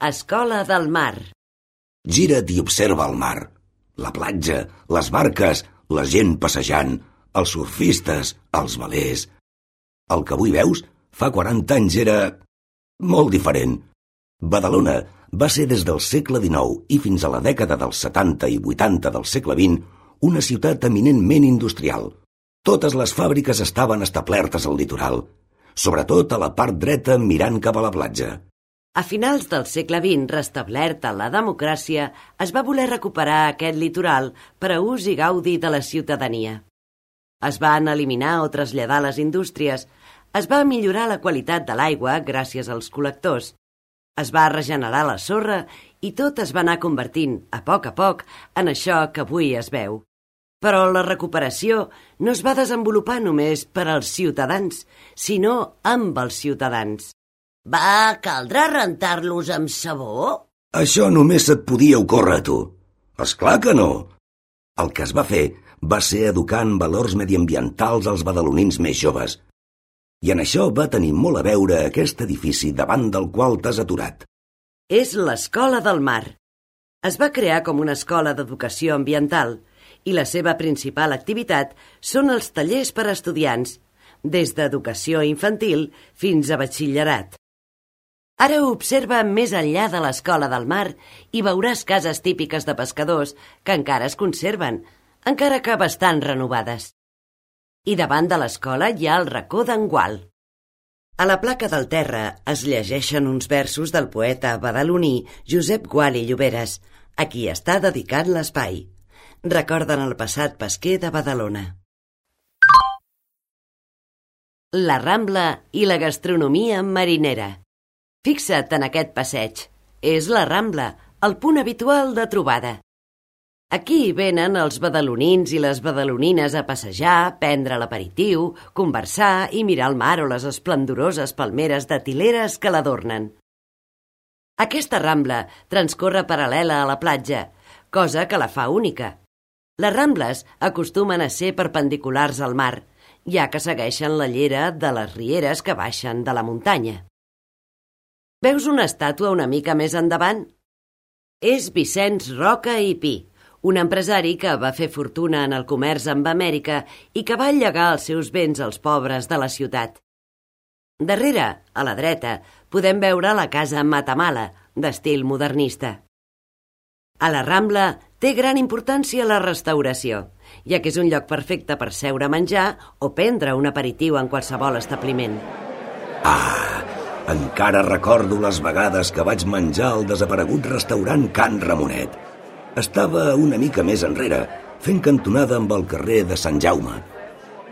Escola del mar. Gira't i observa el mar, la platja, les barques, la gent passejant, els surfistes, els velers. El que avui veus, fa 40 anys era molt diferent. Badalona va ser des del segle XIX i fins a la dècada dels 70 i 80 del segle XX una ciutat eminentment industrial. Totes les fàbriques estaven establertes al litoral, sobretot a la part dreta mirant cap a la platja. A finals del segle XX, restablerta la democràcia, es va voler recuperar aquest litoral per a ús i gaudi de la ciutadania. Es van eliminar o traslladar les indústries, es va millorar la qualitat de l'aigua gràcies als col·lectors, es va regenerar la sorra i tot es va anar convertint, a poc, en això que avui es veu. Però la recuperació no es va desenvolupar només per als ciutadans, sinó amb els ciutadans. Va caldrà rentar-los amb sabó? Això només et podia ocórrer a tu. Esclar que no. El que es va fer va ser educar en valors mediambientals als badalonins més joves. I en això va tenir molt a veure aquest edifici davant del qual t'has aturat. És l'Escola del Mar. Es va crear com una escola d'educació ambiental i la seva principal activitat són els tallers per a estudiants, des d'educació infantil fins a batxillerat. Ara observa més enllà de l'Escola del Mar i veuràs cases típiques de pescadors que encara es conserven, encara que bastant renovades. I davant de l'escola hi ha el racó d'en Gual. A la placa del terra es llegeixen uns versos del poeta badaloní Josep Gual i Lloberes, a qui està dedicat l'espai. Recorden el passat pesquer de Badalona. La Rambla i la gastronomia marinera. Fixa't en aquest passeig. És la Rambla, el punt habitual de trobada. Aquí venen els badalonins i les badalonines a passejar, prendre l'aperitiu, conversar i mirar el mar o les esplendoroses palmeres de tileres que l'adornen. Aquesta Rambla transcorre paral·lela a la platja, cosa que la fa única. Les Rambles acostumen a ser perpendiculars al mar, ja que segueixen la llera de les rieres que baixen de la muntanya. Veus una estàtua una mica més endavant? És Vicenç Roca i Pi, un empresari que va fer fortuna en el comerç amb Amèrica i que va llegar els seus béns als pobres de la ciutat. Darrere, a la dreta, podem veure la casa Matamala, d'estil modernista. A la Rambla té gran importància la restauració, ja que és un lloc perfecte per seure a menjar o prendre un aperitiu en qualsevol establiment. Encara recordo les vegades que vaig menjar al desaparegut restaurant Can Ramonet. Estava una mica més enrere, fent cantonada amb el carrer de Sant Jaume.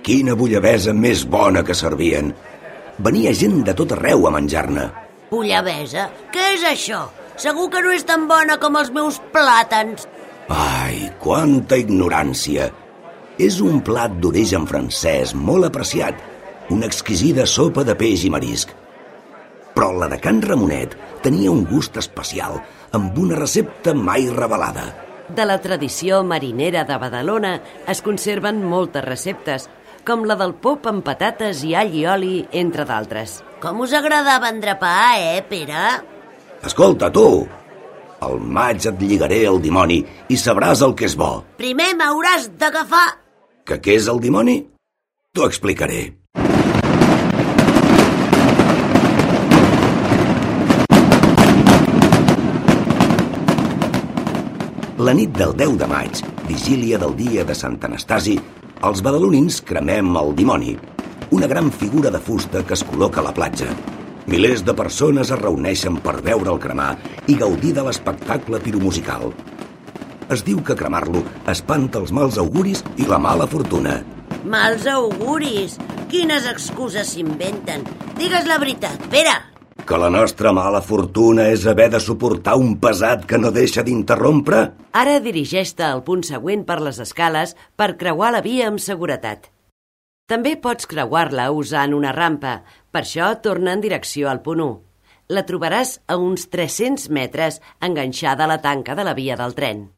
Quina bullabesa més bona que servien! Venia gent de tot arreu a menjar-ne. Bullabesa? Què és això? Segur que no és tan bona com els meus plàtans. Ai, quanta ignorància! És un plat d'origen francès molt apreciat, una exquisida sopa de peix i marisc. Però la de Can Ramonet tenia un gust especial, amb una recepta mai revelada. De la tradició marinera de Badalona es conserven moltes receptes, com la del pop amb patates i all i oli, entre d'altres. Com us agradava endrapar, Pere? Escolta, tu! Al maig et lligaré el dimoni i sabràs el que és bo. Primer m'hauràs d'agafar... Que què és el dimoni? T'ho explicaré. La nit del 10 de maig, vigília del dia de Sant Anastasi, els badalonins cremem el dimoni, una gran figura de fusta que es col·loca a la platja. Milers de persones es reuneixen per veure'l cremar i gaudir de l'espectacle piromusical. Es diu que cremar-lo espanta els mals auguris i la mala fortuna. Mals auguris? Quines excuses s'inventen? Digues la veritat, Pere! Que la nostra mala fortuna és haver de suportar un pesat que no deixa d'interrompre? Ara dirigeix-te al punt següent per les escales per creuar la via amb seguretat. També pots creuar-la usant una rampa, per això torna en direcció al punt 1. La trobaràs a uns 300 metres enganxada a la tanca de la via del tren.